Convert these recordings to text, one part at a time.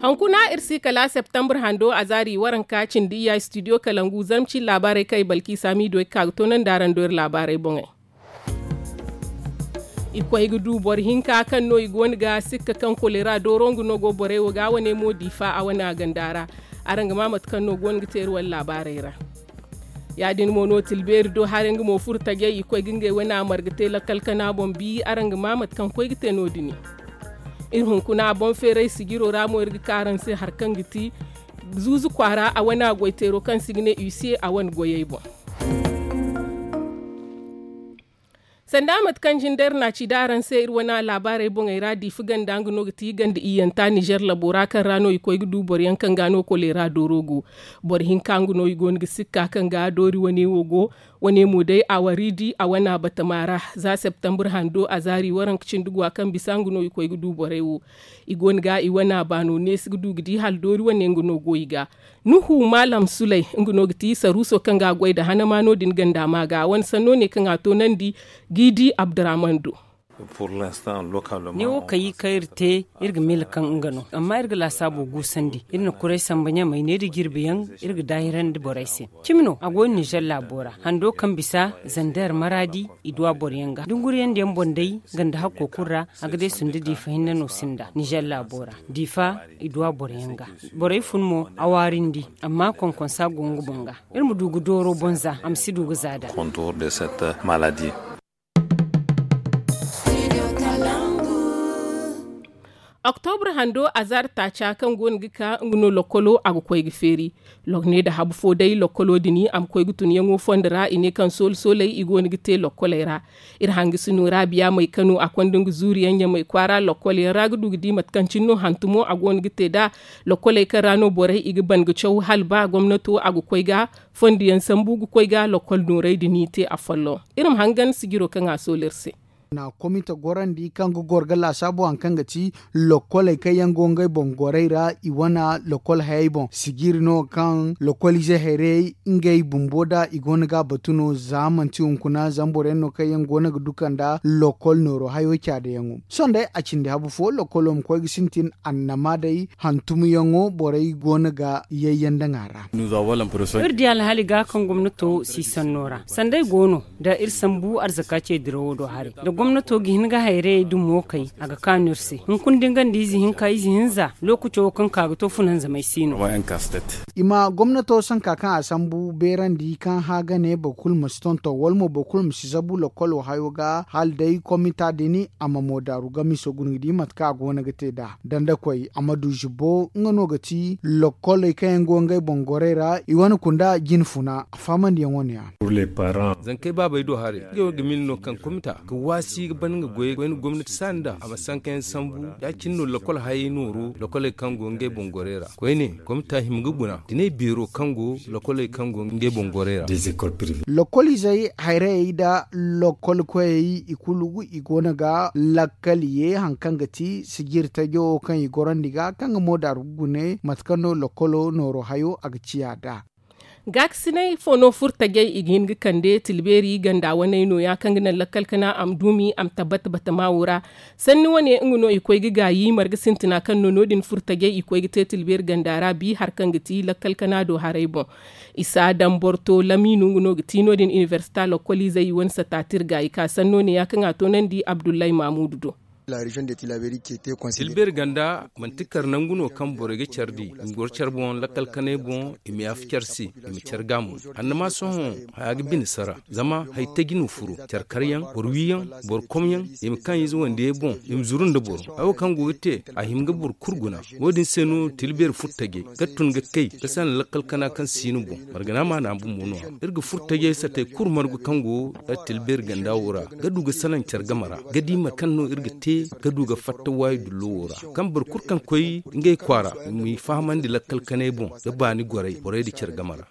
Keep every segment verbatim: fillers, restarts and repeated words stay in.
Hunkuna iri si kala septembre hando a zaari waranka cindi iyya studio kalangu zarmci laabaarey kaŋ ay balki saamiido ay ga ka ga toonandi araŋ do iri laabaarey boŋey. I koy ga du boro hinka kaŋ no i go no ga sikka kaŋ kolera dooro nga no go borey wo ga wane mo diifa a wane a ganda ra. Araŋ ga ma mate kaŋ no go no ga teeri wala laabaarey ra. Ya- din mo no tilbeeri do hara nga mo furo tajey i koy ga ngey wane a marga te lakkal kana boŋ bi araŋ ga ma mate kaŋ koy ga te no- din. Iri hunkuna boŋ feeray sijiro ra mo iri ga ka araŋ se hari kaŋ ga ti zuuzu kwaara a wane a goy teero kaŋ se i ga ne usa a wane goyey boŋ. Sanda mate kaŋ jinde iri na a ci da araŋ se iri wane laabaarey boŋey ra diifa ganda nga no ga ti ganda iyyanta nizer labo ra kaŋ ra no i koy ga du boro yaŋ kaŋ ga no koleera dooro go. Boro hinka nga no i go no ga sikka kaŋ ga doori wane wo go. Wane mo day a wari di a wane a batama ra za septembre hando a zaari waranka cindi gwa kaŋ bisa nga no i koy ga du borey wo. I go no ga i wane a baano neesi ga du ga di hala doori wane nga no go i ga. Nuhu maalam suley nga no ga ti saruuso kaŋ ga a goy nda hanama no- din ganda ma ga a wane sanno ne kaŋ a toonandi. G'i di abdurrahman do. Neewo kaŋ i kaŋ iri te iri ga miila kaŋ nga no amma iri ga laasaabo guusandi. Iri na kuray samba ɲamey ne nda jirbi yaŋ iri ga daahirandi borey se. Cimi no a go no nizer laabo ra hando kaŋ bisa zander maraadi i duwa boro yaŋ ga dunguriyaŋ da yaŋ boŋ day ganda hakko kulu ra. A ga day sundu diifa hinne no sinda nizer laabo ra diifa i duwa boro yaŋ ga. Borey fun mo a waarindi amma konkonsa go nga boŋ ga. Iri ma du ga dooro boŋ za a ma si du ga za nd'a. Oktobra hando azaari taaca kaŋ go no ga ka nga no lokkolo a ga koy ga feeri. Lokne nda habu fo day lokkolo din a ma koy ga tun yaŋo fondo ra i ne kaŋ sooli sooley i go no ga te lokkoley ra. Iri hangasino ra biya may kano a konda nga zuuriyaŋ ɲamay kwaara lokkol yaŋ ra ga du ga di mate kaŋ cine no hantumo a go no ga te nd'a. Lokkoley kaŋ ra no borey i ga ban ga caw hala ba gomnato a ga koy ga fondo yaŋ sambu ga koy ga lokkol noorey din i te afolloŋ. Iri ma hangan sijiro kaŋ a sooli iri se. Na komite gorandi kaŋ ga goro ga laasaabo hari kaŋ ga ti lokkoley kaŋ yaŋ go ngey boŋ gorey ra i wane lokkol hayey boŋ sijiri no kaŋ lokkol ize hayrayey ngey bumbo nd'a i go no ga a batu no za manti hunkuna zama boro yaŋ no kaŋ yaŋ go no ga duka nda lokkol nooro hayo caadayaŋo. Sohõ day a cindi habu fo lokkolo ma koy ga sintin annama day hantumyaŋo borey go no ga yayyaŋ daŋ a ra. Iri di alhaali ga kaŋ gomnato si sanno ra sanday go no nda iri sambu arzaka ce dirawo do haray nda gomnato ga hin ga hayrayey dumo kay a ga kaanu iri se hunkuna da nga nda ize hinka ize hinza lookaco wo kaŋ ka ga to funanzamey si no. I ma gomnato sanka kaŋ a sambu beerandi kaŋ hã ga ne boro kulu ma si tonton wala mo boro kulu ma si zabu lokkolo hayo ga hala day komita din a ma moodaaru gamiso guna ga di mate kaŋ a go no ga te nd'a dandakoy a ma du zubbo nga no ga ti lokkoley kaŋ yaŋ go ngey boŋ gorey ra i wane kunda jine funa a faamandiyaŋ wane yaŋ. Zankey baabey do haray ngey wo ga miila no kaŋ komita ga waasi ga ban nga goyey koyne gomnati saani nd'a a ma sankayaŋ sambu ya- cine no lokkol hayey nooro lokkoley kaŋ go ngey boŋ gorey ra koyne komita hima ga guna dinay beero kaŋ go lokkoley kaŋ go ngey boŋ gorey ra. Lokkol izey hayrayey nda lokkol koyey i kulu i go no ga lakkal ye hari kaŋ ga ti sijiri tajo wo kaŋ i gorandi ga kaŋ ga moodaaru ga gune mate kaŋ no lokkolo nooro hayo a ga ciya nd'a. Gaakasinay fo no furo tajey i ga hin ga kande tilbeeri ganda waney nooya kaŋ ga naŋ lakkal kana a ma duumi a ma tabbat batama wo ra. Sanni wane nga no i koy ga gaayi marga sintina kaŋ no no- din furo tajey i koy ga te tilbeeri ganda ra bi hari kaŋ ga ti lakkal kana do haray boŋ. Isa damborto lamiinu nga no ga ti no- din inibersita lokkoliizey i wane sataati iri gaayi ka sanno neeya kaŋ a toonandi abdullahi maamuudu do. Tilbeeri ganda manti kar nangu no kaŋ borey ga care di i ma goro care boŋ lakkal kanay boŋ i ma yaafa care se i ma care ga mo. Annama sohõ haya ga bine sara zama hari taji no furo care karyaŋ boro wiyaŋ boro komyaŋ i ma kaŋ ize wandiyey boŋ i ma zuru nda boro hayo kaŋ go ga te a hima ga boro kulu guna. Wo- din se no tilbeeri furo tajey ga tun ga kay ga salaŋ lakkal kana kaŋ si no boŋ margana maana bumbo no- ya iri ga furo tajey satey kulu margu kaŋ go tilbeeri ganda wo ra ga du ga salaŋ care game ra ga di mate kaŋ no iri ga te ga du ga fatta waayi dullo wo ra kaŋ boro kulu kaŋ koy ngey kwaara i m'i fahamandi lakkal kanay boŋ ga baani gorey borey nda care game ra.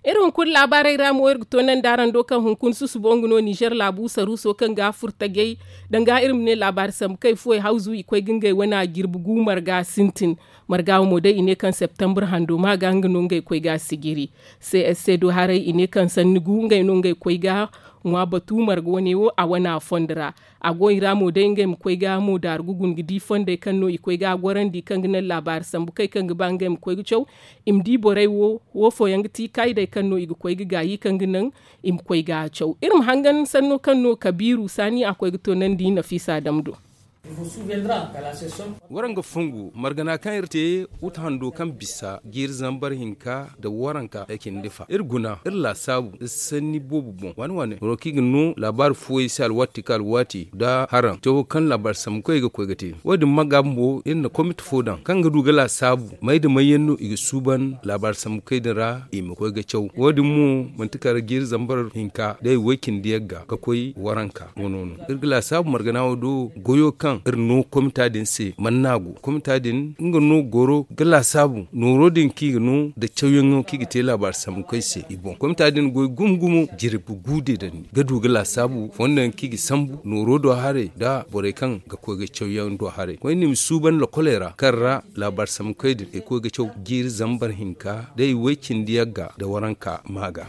Iri hunkuna laabaarey ra mo iri ga toonandi araŋ do kaŋ hunkuna susubo nga no nizer laabu saruuso kaŋ ga furo tajey danga iri ma ne laabaari sambu kay fuwey hawzu i koy ga ngey wane a jirbi gu marga sintin. Marga wo mo day i ne kaŋ septembre hando ma ga nga no ngey koy ga sijiri. Csc do haray i ne kaŋ sanni gu ngey no ngey koy ga Ŋwa batu marga wane wo a wane a fondo ra. A go i ra mo day ngey ma koy ga mo daaru ga guna ga di fondey kaŋ no i koy ga a gorandi kaŋ ga naŋ laabaari sambu kay kaŋ ga ba ngey ma koy ga caw. I ma di borey wo wo fooyaŋ ga ti kaayidey kaŋ no i ga koy ga gaayi kaŋ ga naŋ i ma koy ga a caw. Iri ma hangan sanno kaŋ no kabiiru saani a koy ga toonandi nafiisa dam do. Waraŋ ga fongu margana kaŋ iri te wuta hando kaŋ bisa jiiri zambar hinka nda waranka ay cindi fa iri guna iri laasaabu iri sanni boobo boŋ waani waani boro kaŋ i ga no laabaari fooyey se alwaati ka alwaati nda haraŋ cawo kaŋ laabaari sambu kaŋ i ga koy ga te. Wo- din ma ga bumbo iri na komite fo daŋ kaŋ ga du ga laasaabu may nda may yaŋ no i ga suuban laabaari sambu kaŋ i din ra i ma koy ga caw. Wo- din mo manti kala jiiri zambar hinka day way cindi yagga ga koy waranka wano no iri ga laasaabu margana wo do goyo kaŋ iri no komita din se man no a go komita din nga no goro ga laasaabu nooro din kaŋ i ga no nda cawyaŋo kaŋ i ga te laabaari sambu kaŋ i se i boŋ komita din goy gumo gumo jirbi gu deedandi ga du ga laasaabu fondo yaŋ kaŋ i ga sambu nooro do haray nda borey kaŋ ga koy ga cawyaŋ do haray koyne i ma suuban lokoley ra kaŋ ra laabaari sambu kaŋ i din ay koy ga caw jiiri zambar hinka day way cindi yagga nda waranka ma ga.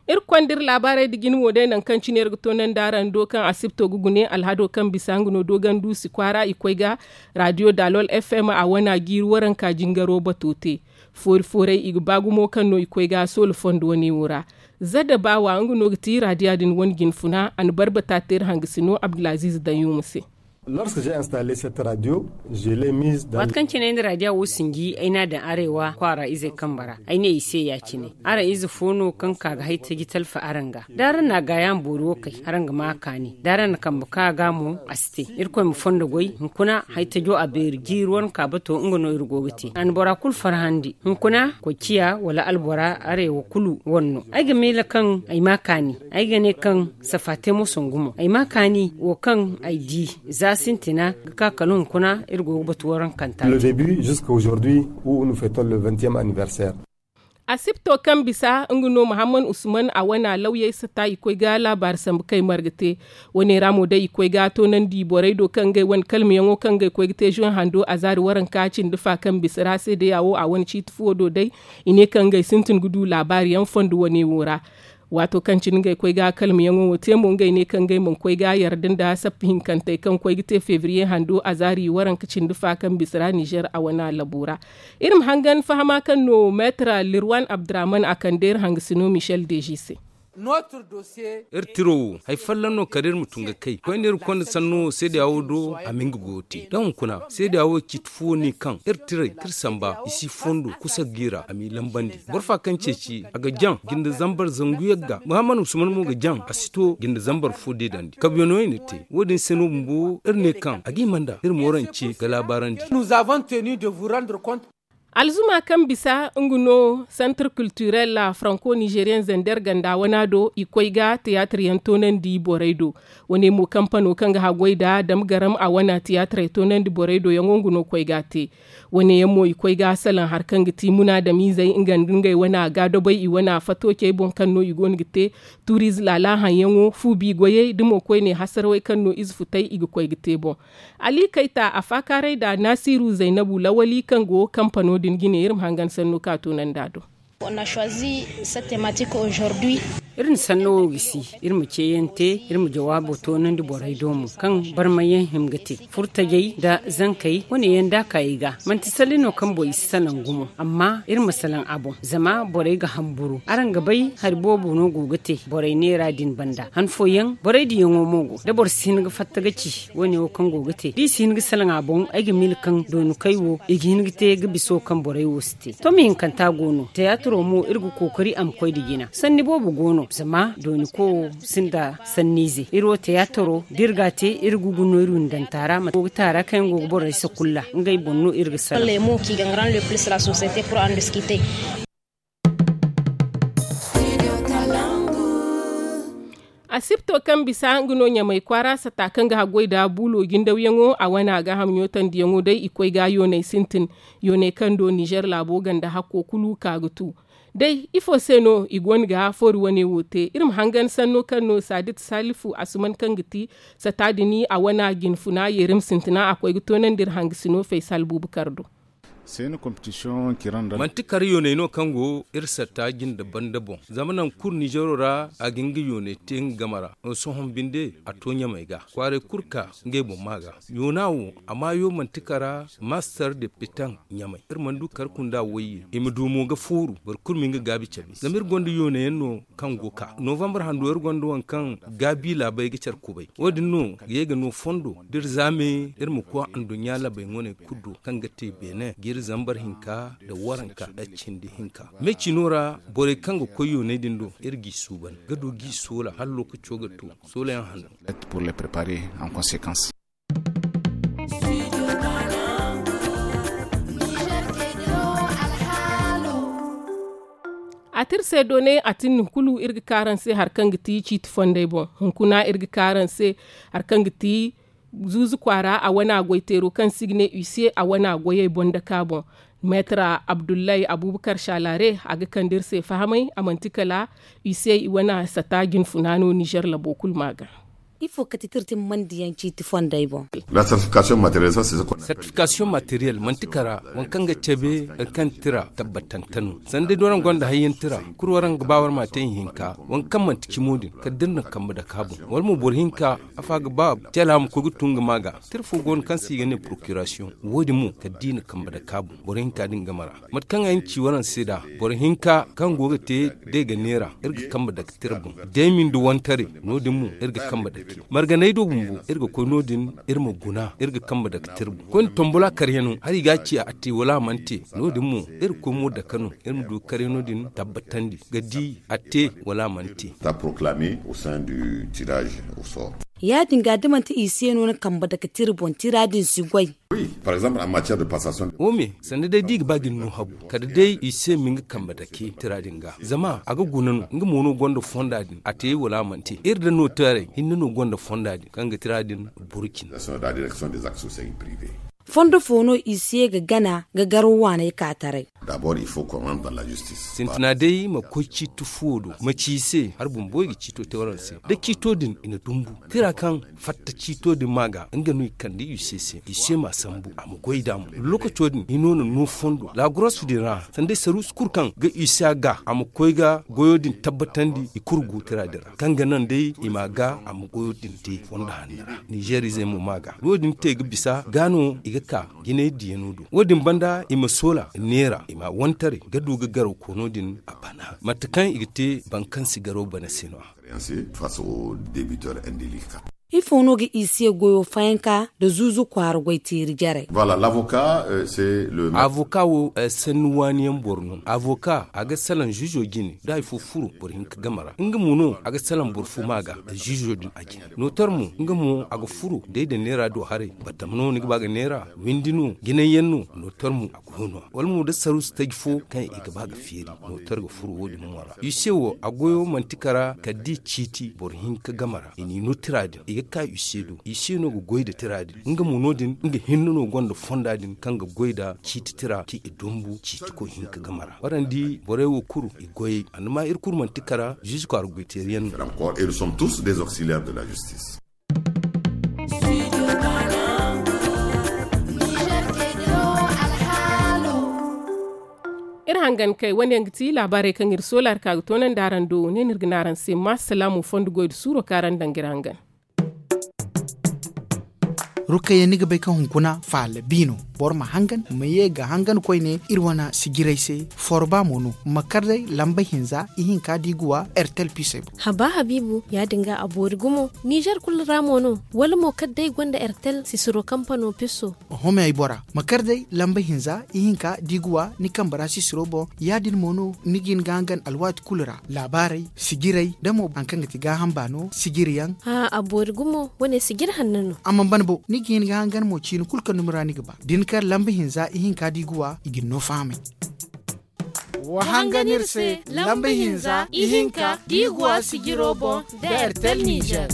Iri konda iri laabaarey nda jine mo day nangu kaŋ cine iri ga toonandi araŋ do kaŋ asibto ga gune alhado kaŋ bisa nga no dooganduusi kwaara i koy ga raadiyo daalol f m a wana jiiri waranka jingaro bato te. Foori fooray i ga ba gumo kaŋ no i koy ga soola fondo wane wo ra. Zadda baawa nga no ga ti raadiya din wane jinfuna a na barbata te iri hangasino abdulaziiz danyuuma se. Waati kaŋ cine ay na raadiya wo sinji ay n'a daŋ arewa kwaara izey kambe ra ay ne i se ya- cine. Araŋ ize fo no kaŋ ka ga hay taji talfa araŋ ga da araŋ na a gaayaŋ boori wo kay araŋ ga ma a kaani da araŋ na kambe ka ga mo a si te. Irkoy ma fondo goy hunkuna hay tajo a beeri jiiri wane ka bato nga no iri go ga te a na bora kulu farhandi hunkuna koy ciya wala albora arewa kulu wane no ay ga miila kaŋ ay ma a kaani. Ay ga ne kaŋ safa te mo sangu mo ay ma a kaani wo kaŋ ay di za sintina ga ka kala hunkuna iri go ga batu warankanta. Asibto kaŋ bisa nga no muhammad usman a wane a lawyey sata i koy ga laabaari sambu kay marga te. Wane ra mo day i koy ga toonandi borey do kaŋ ngey wane kalmayaŋo kaŋ ngey koy ga te zoy hando a zaari waranka cindi fa kaŋ bisa ra seedeya wo a wane ciiti fuwo do day. I ne kaŋ ngey sintin ga du laabaari yaŋ fondo wane wo ra. Waato kaŋ cine ngey koy ga kalmayaŋo wo te mo ngey ne kaŋ ngey mana koy ga yarda nda sappa hinkantey kaŋ koy ga te febriye hando a zaari waranka cindi fa kaŋ bisa ra nizer a wane labo ra. Iri ma hangan fahama kaŋ no meetar lirwan abdurahman a kande iri hangasino michel deji se. Iri tiro wo hari folloŋ no kala iri ma tun ga kay koyne iri konda sanno seedeya wo do a ma nga goyo te da hunkuna seedeya wo ciiti fo ne kaŋ iri tiray da iri samba i si fondo kusa ga i ra a m'i lambandi. Boro fa kaŋ ceeci a ga jaŋ jinde zambar zangu yagga muhammad usman mo ga jaŋ a si to jinde zambar fo deedandi kabyano i na te wo- din se no bumbo iri ne kaŋ a ga hima nda iri moorance ga laabaarandi. Alzuma kaŋ bisa nga no santar kulturel franco nizeriyen zander ganda wana do i koy ga tiyaatir yaŋ toonandi borey do. Wane mo kampano kaŋ ga haggoy nda dam garam a wana tiyaatirey toonandi borey do yaŋo nga no koy ga a te. Wane yaŋ mo i koy ga salaŋ hari kaŋ ga ti munaadamiizey nga nda ngey wana gaadobay i wana fatocey boŋ kaŋ no i go no ga te. Turiize laala haŋyaŋo fu bi goyey da mo koyne hasarawey kaŋ no ize futey i ga koy ga te boŋ. Ali kayta a faakaaray nda naasiiru zaynabu lawali kaŋ go kampano din jine iri ma hangan sanno ka toonandi a do. Iri na sanno wo gisi iri ma ceeyaŋ te iri ma jawaabo toonandi borey do mo kaŋ barmayaŋ hima ga te furtajey nda zankey wane yaŋ da a ka i ga manti salli no kaŋ boŋ i si salaŋ gumo amma iri ma salaŋ a boŋ zama borey ga hamburu araŋ ga bay hari boobo no go ga te borey neera din banda han fooyaŋ borey diyaŋo mo go da boro si hin ga fatta ga ci wane wo kaŋ go ga te da i si hin ga salaŋ a boŋ ay ga miila kaŋ dooni kay wo i ga hin ga te ga biso kaŋ borey wo si te to ma hinkanta go no tiyaatiro mo iri ga kookari a ma koy nda jina sanni boobo go no zama dooni ko wo sinda sanniize iri wo tiyaatiro da iri ga a te iri ga gu no iri windanta ra mate go ga taara kaŋ yaŋ go ga borey sakulla ngey boŋ no iri ga salaŋ. Asibto kaŋ bisa nga no ɲamay kwaara sata kaŋ ga haggoy nda buulo jindawyaŋo a wane a gaaham ɲootandiyaŋo day i koy ga yoonay sintin. Yoonay kaŋ do nizer laabo ganda hakko kulu ka ga tu. Day ifo se no i go no ga foori wane wo te iri ma hangan sanno kaŋ no saadit salifu asuman kaŋ ga ti sata din a wane a jinfuna yeerim sintina a koy ga toonandi iri hangasino faysal buubakar do. Manti kar yooney no kaŋ go iri satta jinde banda boŋ, zama nangu kulu ninzeero ra a ga nga yooney te nga game ra. Sohõ binde a to ɲamey ga kwaaray kulu ka ngey boŋ ma ga. Yoona wo a maayo manti kara master de petan ɲamey. Iri mana du kar kunda wayye i ma du mo ga fooru boro kulu ma nga gaabi cabe zama iri gonda yoonayaŋ no kaŋ go ka novambar hando iri gonda waŋ kaŋ gaabi laabey ga care kubay. Wo- din no ga ye ga no fondo da iri zaame iri ma koy anduɲɲa laabey ŋwaney kulu do kaŋ ga te beene ga iri zambar hinka nda waranka nda cindi hinka. Me ciino ra borey kaŋ ga koy yooney din do iri g'i suuban ga du g'i soola hala lookaco ga to. Soolayaŋ hanno. A ti iri se doone a tin nin kulu iri ga ka araŋ se hari kaŋ ga ti ciiti fondey boŋ. Hunkuna iri ga ka araŋ se hari kaŋ ga ti zuuzu kwaara a wane a goy teero kaŋ se i ga ne use a wane a goyey boŋ dake a boŋ. Meetara abdullahi abubakar shalare a ga kande iri se fahamay a manti kala use i wane sata jinfuna no nizer labo kulu ma ga. Ifo kate tira timmandiyaŋ ciiti fondey boŋ? Sartifikasiyoŋ materiyel manti kara waŋ kaŋ ga cabe hari kaŋ tira tabbatante no. Sanda day da waraŋ gonda hayyaŋ tira kulu waraŋ ga ba wara ma te ihinka waŋ kaŋ manti cimo din kala da iri na kambe dake a boŋ wala mo boro hinka afa ga ba tela ma koy ga tun ga ma ga. Tira fo go no kaŋ se i ga ne porokirasiyoŋ wo- din mo kala da i na kambe dake a boŋ boro hinka din game ra. Mate kaŋ ay na ci waraŋ se nd'a boro hinka kaŋ go ga te day ga neera iri ga kambe dake tira boŋ. Day ma ni da wantaray no- din mo iri ga kambe dake marganay do bumbo iri ga koy no- din iri ma guna iri ga kambe dake tira boŋ koyne tombula karyaŋo hari i ga a ci a te wala a mana te. No- din mo iri ga koy mo dake no iri ma du karyano din tabbatandi ga di a te wala a mana te. Ya- din ga da manti use no ni kambe dake tira boŋ tira din si goy. Wo me sanda day da i ga ba ga ni no habu kala day i se ma nga kambe dake tira din ga zama a ga guna no nga mo no gonda fonda din a te wala a mana te iri da no taray hinne no gonda fonda din kaŋ ga tira din burkina. Fondo fo no i se ga gana ga garo waaney ka taray. Sintina day ma koy ciiti fuwo do ma ci i se hari bumbo i ga ciito te waraŋ se da ciito din i na dumbu tira kaŋ fatta ciito din ma ga nga no i kande i se se i se ma sambu a ma goy nd'a mo. Lokaco din i no na no fondo laaguros din ra sanda day saruusu kulu kaŋ ga i se a ga a ma koy ga goyo din tabbatandi i kulu go tira din ra kaŋ ga naŋ day i ma ga a ma goyo din te fondo hanno ra nizeer izey mo ma ga wo- din te ga bisa ga no i ga ka jinay diyano do wo- din banda i ma soola neera i ma wantaray ga du ga garaw koono din a bana mate kaŋ i ga te boro kaŋ si garaw bana se no- ya. Ifo no ga i se goyo fayanka nda zuuzu kwaara goy teeri jarey? Avoka wo sanni waani yaŋ boro no avoka a ga salaŋ ziizo jine da hari fo furo boro hinka game ra nga mo no a ga salaŋ boro fo ma ga ziizo din a jine. Nootar mo nga mo a ga furo day da neera do haray batama no ni ga ba ga neera windi no jinay yaŋ no nootar mo a go no wala mo da saruusu taji fo kaŋ i ga ba ga feeri. Nootar ga furo wo- din mo ra use wo a goyo manti kara kala da i ciiti boro hinka game ra i n'i no tira din i ga ka use do use no ga goy nda tira din nga mo no- din nga hinne no gonda fonda din kaŋ ga goy nda ciiti tira kaŋ i dumbu ciiti koy hinka game ra waraŋ di borey wo kulu i goyey annama iri kulu manti kara ziizi kwaara goy teeri yaŋ no. Iri hangan kay wane yaŋ ga ti laabaarey kaŋ iri soola hari ka ga toonandi araŋ do ne no iri ga ne araŋ se ma salaamu fondo goy nda suuro kaŋ araŋ daŋ ga iri hangan. Rukayya ni ga bay kaŋ hunkuna faala bi no. Boro ma hangan ma ye ga hangan koyne iri wane sijirey se. Forba mo no ma kar day lamba hinza ihinka da i ga wa ertel pisey boŋ. Haba habiibu ya- din ga a boori gumo nizer kulu ra mo no? Wala mo kala day gonda ertel sisiro kampano piso. Oho me ay bora ma kar day lamba hinza ihinka da i ga wa ni kambe ra sisiro boŋ. Ya- din mo no ni ga hin ga hangan alwaati kulu ra laabaarey sijirey da mo hari kaŋ ga ti gaaham baano sijiri yaŋ. A boori gumo wane sijiri hanno no. A mana ban bo ni ga hin ga hangan mo ciini kulu kaŋ dumi ra ni ga ba da ni kar lamba hinza ihinka da i ga wa i ga ni no fahamay. Wa hangan iri se lamba hinza ihinka da i ga wa sijiro boŋ da ertel nizer.